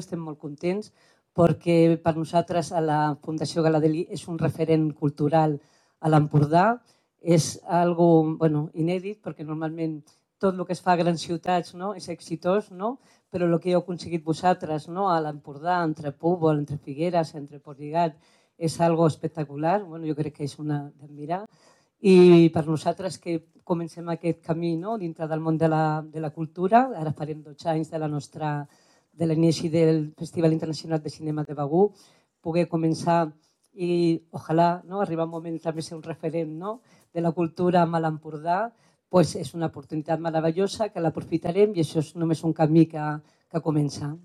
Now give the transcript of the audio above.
estem molt contents perquè per nosaltres a la Fundació Gala-Delí és un referent cultural a l'Empordà. És algo inèdit perquè normalment tot el que es fa a grans ciutats és exitós, però el que heu aconseguit vosaltres a l'Empordà, entre Púbol, entre Figueres, entre Portlligat, és algo espectacular. Jo crec que és una d'admirar. I per nosaltres que comencem aquest camí dintre del món de la cultura, ara farem 12 anys de l'inici del Festival Internacional de Cinema de Begur, poder començar i ojalà arribar un moment també ser un referent de la cultura a l'Empordà, és una oportunitat meravellosa que l'aprofitarem i això és només un camí que comença.